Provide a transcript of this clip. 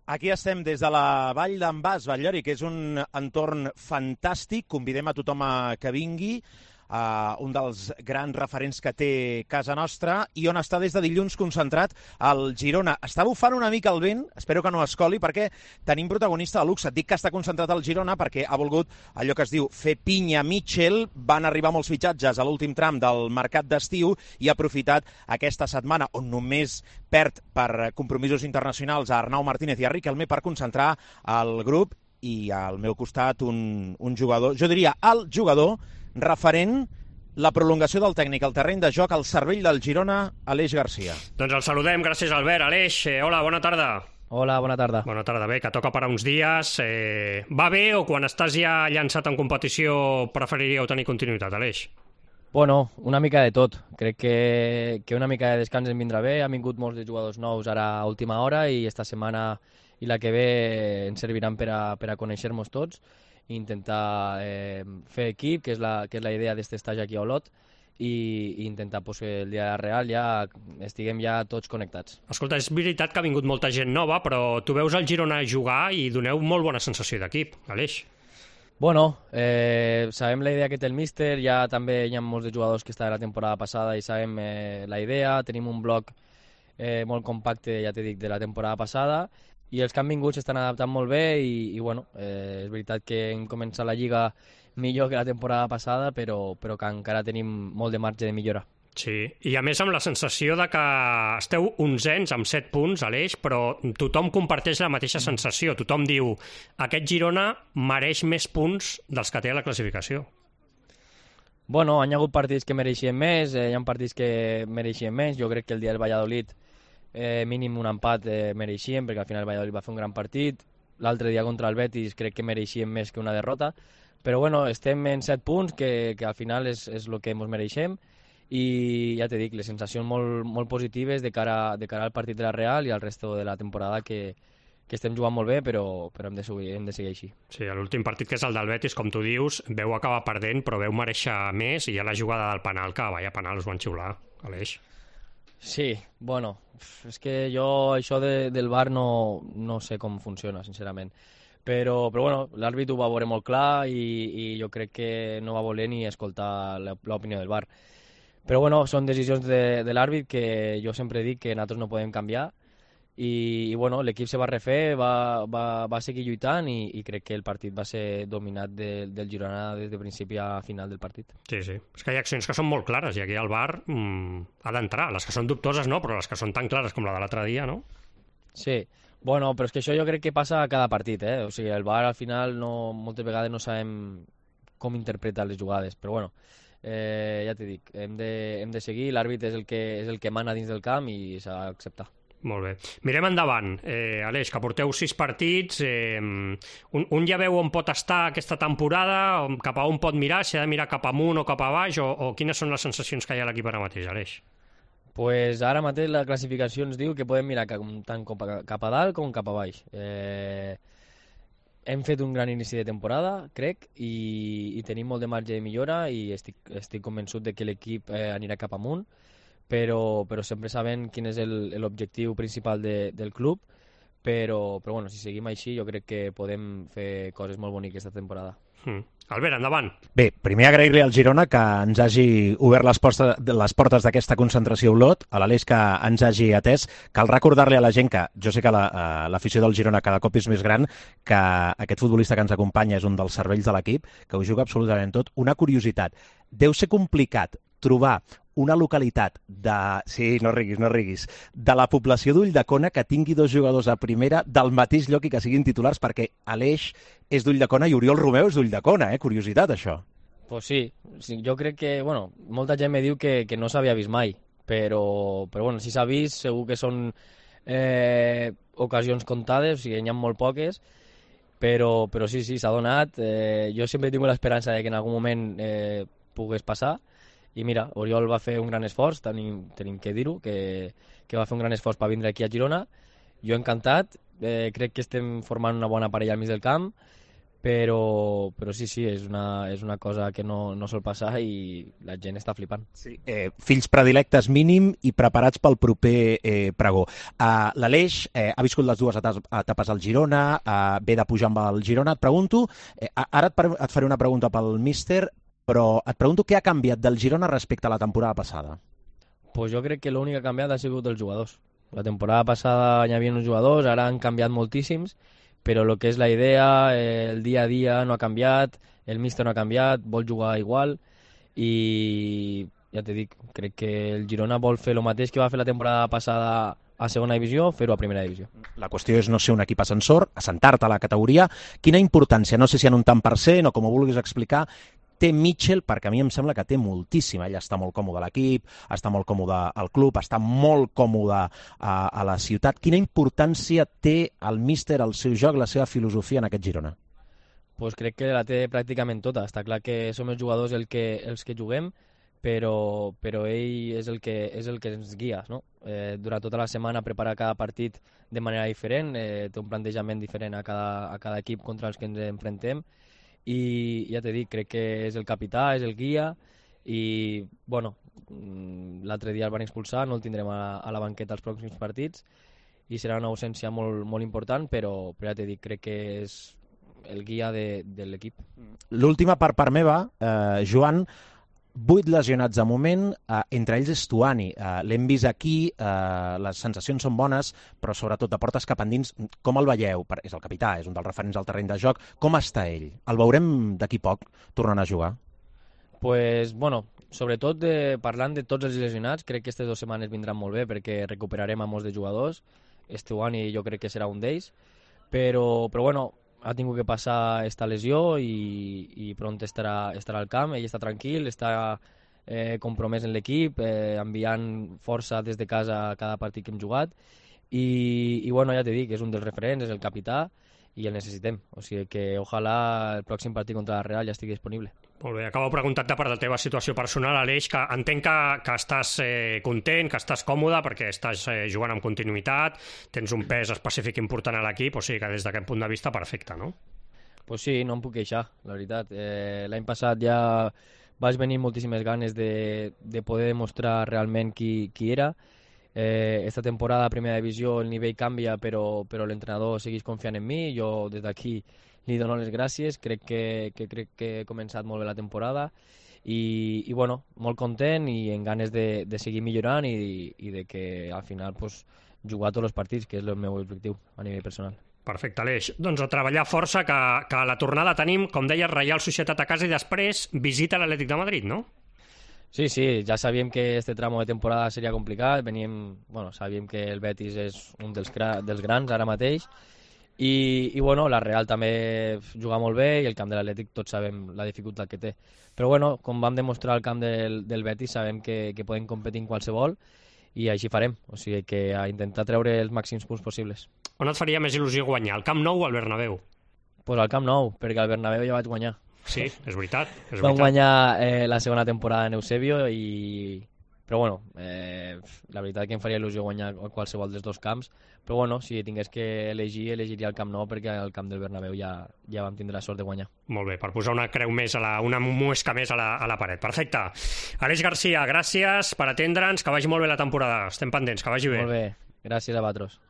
Aquí estem des de la Vall d'en Bas, Batllori, que és un entorn fantàstic. Convidem a tothom que vingui, un dels grans referents que té casa nostra i on està des de dilluns concentrat el Girona. Està bufant una mica el vent, espero que no escoli, perquè tenim protagonista de luxe. Et dic que està concentrat el Girona perquè ha volgut allò que es diu fer pinya Mitchell. Van arribar molts fitxatges a l'últim tram del mercat d'estiu i ha aprofitat aquesta setmana on només perd per compromisos internacionals a Arnau Martínez i a Riquelme per concentrar el grup. I al meu costat un jugador, jo diria el jugador referent, la prolongació del tècnic al terreny de joc, al cervell del Girona, Aleix Garcia. Doncs el saludem, gràcies Albert. Aleix, hola, bona tarda. Hola, bona tarda. Bona tarda, bé, que toca parar uns dies. Va bé o quan estàs ja llançat en competició preferiríeu tenir continuïtat, Aleix? Bueno, una mica de tot. Crec que una mica de descans em vindrà bé. Han vingut molts de jugadors nous ara a última hora i esta setmana i la que ve ens serviran per a conèixer-nos tots i intentar fer equip, que és la idea d'aquest estatge aquí a Olot, i intentar que el dia real ja estiguem ja tots connectats. Escolta, és veritat que ha vingut molta gent nova, però tu veus el Girona jugar i doneu molt bona sensació d'equip, Aleix. Bueno, sabem la idea que té el míster, ja també hi ha molts de jugadors que estaven la temporada passada i sabem la idea, tenim un bloc molt compacte, ja t'he dit, de la temporada passada, i els que han vingut s'estan adaptant molt bé i bueno, és veritat que hem començat la Lliga millor que la temporada passada, però que encara tenim molt de marge de millora. Sí, i a més amb la sensació de que esteu onzens amb 7 punts, Aleix, però tothom comparteix la mateixa sensació. Tothom diu, aquest Girona mereix més punts dels que té a la classificació. Bueno, hi ha hagut partits que mereixien més, hi ha partits que mereixien menys. Jo crec que el dia del Valladolid mínim un empat mereixien, perquè al final el Valladolid va fer un gran partit. L'altre dia contra el Betis crec que mereixien més que una derrota, però bueno, estem en 7 punts, que al final és el que ens mereixem, i ja t'he dit, les sensacions molt positives de cara al partit de la Real i al resto de la temporada, que estem jugant molt bé, però hem de seguir així. Sí, l'últim partit, que és el del Betis, com tu dius, veu acabar perdent, però veu mereixer més, i hi ha la jugada del penal, que vaya penal, us van xiular, Aleix. Sí, bueno, és que jo això del VAR no sé com funciona, sincerament. Però bueno, l'àrbit ho va veure molt clar i jo crec que no va voler ni escoltar l'opinió del VAR. Però bueno, són decisions de l'àrbit que jo sempre dic que nosaltres no podem canviar i bueno, l'equip se va refer, va seguir lluitant i crec que el partit va ser dominat del Girona des de principi a final del partit. Sí, sí. És que hi ha accions que són molt clares i aquí el VAR ha d'entrar. Les que són dubtoses no, però les que són tan clares com la de l'altre dia, no? Sí. Bueno, però és que això jo crec que passa a cada partit, O sigui, el VAR al final moltes vegades no sabem com interpretar les jugades, però bueno, ja t'he dit, hem de seguir, l'àrbit és el que mana dins del camp i s'ha d'acceptar. Molt bé. Mirem endavant. Aleix, que porteu 6 partits, un ja veu on pot estar aquesta temporada, cap a on pot mirar, si ha de mirar cap amunt o cap a baix, o quines són les sensacions que hi ha a l'equip ara mateix, Aleix? Pues ara mateix la classificació ens diu que podem mirar tant cap a dalt com cap a baix. Hem fet un gran inici de temporada, crec, i tenim molt de marge de millora i estic convençut de que l'equip anirà cap amunt, però sempre sabent quin és l'objectiu principal del club, però bueno, si seguim així jo crec que podem fer coses molt boniques aquesta temporada. Albert, endavant. Bé, primer agrair-li al Girona que ens hagi obert les portes d'aquesta concentració a Olot, a l'Aleix que ens hagi atès. Cal recordar-li a la gent que jo sé que l'afició del Girona cada cop és més gran, que aquest futbolista que ens acompanya és un dels cervells de l'equip, que ho juga absolutament tot. Una curiositat, deu ser complicat trobar una localitat sí, no riguis, de la població d'Ulldecona que tingui 2 jugadors a primera del mateix lloc i que siguin titulars, perquè Aleix és d'Ulldecona i Oriol Romeu és d'Ulldecona, curiositat això. Pues sí, jo crec que, bueno, molta gent me diu que no s'havia vist mai, però bueno, si s'ha vist segur que són ocasions comptades, o sigui, n'hi ha molt poques, però sí, s'ha donat. Jo sempre tinc l'esperança de que en algun moment pogués passar. I mira, Oriol va fer un gran esforç, tenim que dir-ho, que va fer un gran esforç per vindre aquí a Girona. Jo encantat, crec que estem formant una bona parella al mig del camp, però sí, és una cosa que no sol passar i la gent està flipant. Sí. Fills predilectes mínim i preparats pel proper pregó. L'Aleix ha viscut les dues etapes al Girona, ve de pujar amb el Girona. Et pregunto, ara et faré una pregunta pel míster, però et pregunto què ha canviat del Girona respecte a la temporada passada. Pues jo crec que l'únic que ha canviat ha sigut els jugadors. La temporada passada hi havia uns jugadors, ara han canviat moltíssims, però el que és la idea, el dia a dia no ha canviat, el míster no ha canviat, vol jugar igual i ja t'he dit, crec que el Girona vol fer el mateix que va fer la temporada passada a segona divisió, fer-ho a primera divisió. La qüestió és no ser un equip ascensor, assentar-te a la categoria. Quina importància, no sé si en un tant per cent o com ho vulguis explicar, té Mitchell, perquè a mi em sembla que té moltíssima. Ell està molt còmode a l'equip, està molt còmode al club, està molt còmode a la ciutat. Quina importància té el míster, el seu joc, la seva filosofia en aquest Girona? Pues crec que la té pràcticament tota. Està clar que som els jugadors els que juguem, però ell és el que ens guia, no? Durant tota la setmana prepara cada partit de manera diferent, té un plantejament diferent a cada equip contra els que ens enfrontem, i ja t'he dit, crec que és el capità, és el guia, i bueno, l'altre dia el van expulsar, no el tindrem a la banqueta als pròxims partits i serà una ausència molt, molt important, però ja t'he dit, crec que és el guia de l'equip. L'última per part meva, Joan, 8 lesionats de moment, entre ells és Stuani. L'hem vist aquí, les sensacions són bones, però sobretot de portes cap endins. Com el veieu? És el capità, és un dels referents al terreny de joc. Com està ell? El veurem d'aquí poc tornant a jugar? Pues, bueno, sobretot parlant de tots els lesionats, crec que aquestes 2 setmanes vindran molt bé perquè recuperarem a molts de jugadors. Stuani jo crec que serà un d'ells, però bueno, ha tingut que passar esta lesió i pront estarà al camp. Ell està tranquil, està compromès en l'equip, enviant força des de casa a cada partit que hem jugat i bueno, ja t'he dit, és un dels referents, és el capità i el necessitem, o sigui que ojalà el pròxim partit contra la Real ja estigui disponible. Molt bé, acabo preguntant-te per la teva situació personal, Aleix, que entenc que estàs content, que estàs còmode perquè estàs jugant amb continuïtat, tens un pes específic important a l'equip, o sigui que des d'aquest punt de vista perfecte, no? Pues sí, no em puc queixar, la veritat. L'any passat ja vaig venir moltíssimes ganes de poder demostrar realment qui era. Esta temporada a primera divisió el nivell canvia, però l'entrenador segueix confiant en mi. Jo des d'aquí li dono les gràcies, crec que he començat molt bé la temporada i bueno, molt content i en ganes de seguir millorant i de que al final pues, jugar tots els partits, que és el meu objectiu a nivell personal. Perfecte, Aleix. Doncs a treballar força, que a la tornada tenim, com deies, Reial Societat a casa i després visita l'Atlètic de Madrid, no? Sí, ja sabíem que este tramo de temporada seria complicat, sabíem que el Betis és un dels grans ara mateix i bueno, la Real també juga molt bé i el camp de l'Atlètic tots sabem la dificultat que té. Però bueno, com vam demostrar al camp del Betis sabem que podem competir en qualsevol i així farem, o sigui que a intentar treure els màxims punts possibles. On et faria més il·lusió guanyar, al Camp Nou o al Bernabéu? Pues al Camp Nou, perquè al Bernabéu ja vaig guanyar. Sí, és veritat. Vam guanyar la segona temporada en Eusebio però bueno, la veritat que em faria il·lusió guanyar qualsevol dels 2 camps, però bueno, si tingués que elegir, elegiria el Camp Nou perquè al camp del Bernabéu ja vam tindre la sort de guanyar. Molt bé, per posar una creu més, una muesca més a la paret. Perfecte. Aleix Garcia, gràcies per atendre'ns, que vagi molt bé la temporada. Estem pendents, que vagi bé. Molt bé, gràcies a vosaltres.